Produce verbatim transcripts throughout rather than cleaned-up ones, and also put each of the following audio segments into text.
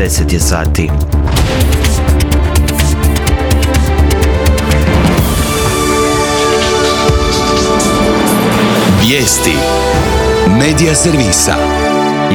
deset je sati. Vijesti Medija servisa.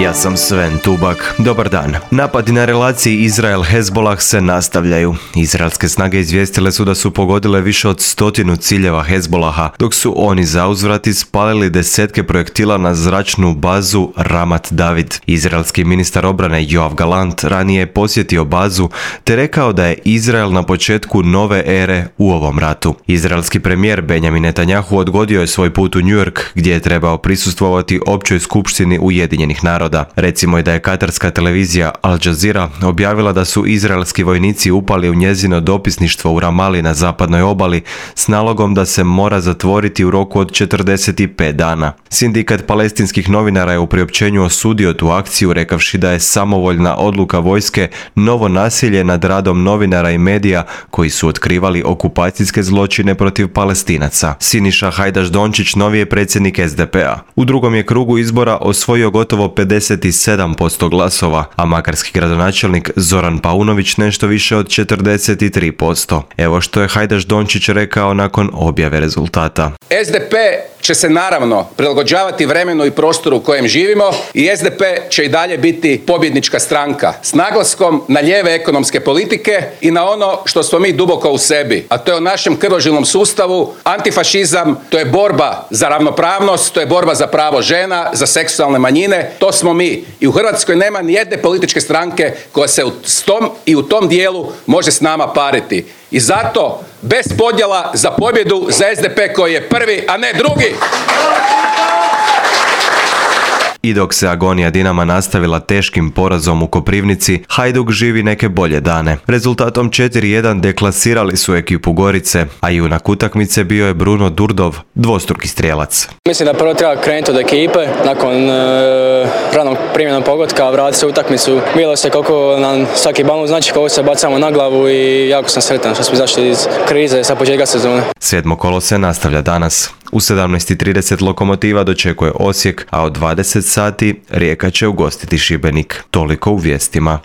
Ja sam Sven Tubak. Dobar dan. Napadi na relaciji Izrael-Hezbolah se nastavljaju. Izraelske snage izvijestile su da su pogodile više od stotinu ciljeva Hezbolaha, dok su oni zauzvrat ispalili desetke projektila na zračnu bazu Ramat David. Izraelski ministar obrane Yoav Gallant ranije je posjetio bazu te rekao da je Izrael na početku nove ere u ovom ratu. Izraelski premijer Benjamin Netanjahu odgodio je svoj put u New York gdje je trebao prisustvovati općoj skupštini Ujedinjenih naroda. Recimo je da je katarska televizija Al Jazeera objavila da su izraelski vojnici upali u njezino dopisništvo u Ramali na zapadnoj obali s nalogom da se mora zatvoriti u roku od četrdeset pet dana. Sindikat palestinskih novinara je u priopćenju osudio tu akciju rekavši da je samovoljna odluka vojske novo nasilje nad radom novinara i medija koji su otkrivali okupacijske zločine protiv Palestinaca. Siniša Hajdaš Dončić novi je predsjednik S D P-a. U drugom je krugu izbora osvojio gotovo pedeset sedam posto glasova, a makarski gradonačelnik Zoran Paunović nešto više od četrdeset tri posto. Evo što je Hajdaš Dončić rekao nakon objave rezultata. S D P će se naravno prilagođavati vremenu i prostoru u kojem živimo i S D P će i dalje biti pobjednička stranka s naglaskom na lijeve ekonomske politike i na ono što smo mi duboko u sebi, a to je u našem krvožilnom sustavu antifašizam, to je borba za ravnopravnost, to je borba za pravo žena, za seksualne manjine, to smo mi. I u Hrvatskoj nema ni jedne političke stranke koja se u tom i u tom dijelu može s nama pariti. I zato, bez podjela za pobjedu za S D P koji je prvi, a ne drugi. I dok se agonija Dinama nastavila teškim porazom u Koprivnici, Hajduk živi neke bolje dane. Rezultatom četiri jedan deklasirali su ekipu Gorice, a junak utakmice bio je Bruno Durdov, dvostruki strijelac. Mislim da prvo treba krenuti od ekipe, nakon e, ranog primjenog pogotka, vratiti se u utakmicu. Bilo se koliko nam svaki balon znači, koliko se bacamo na glavu i jako sam sretan što smo izašli iz krize sa početka sezone. Sedmo kolo se nastavlja danas. U sedamnaest i trideset Lokomotiva dočekuje Osijek, a od dvadeset sati Rijeka će ugostiti Šibenik. Toliko u vijestima.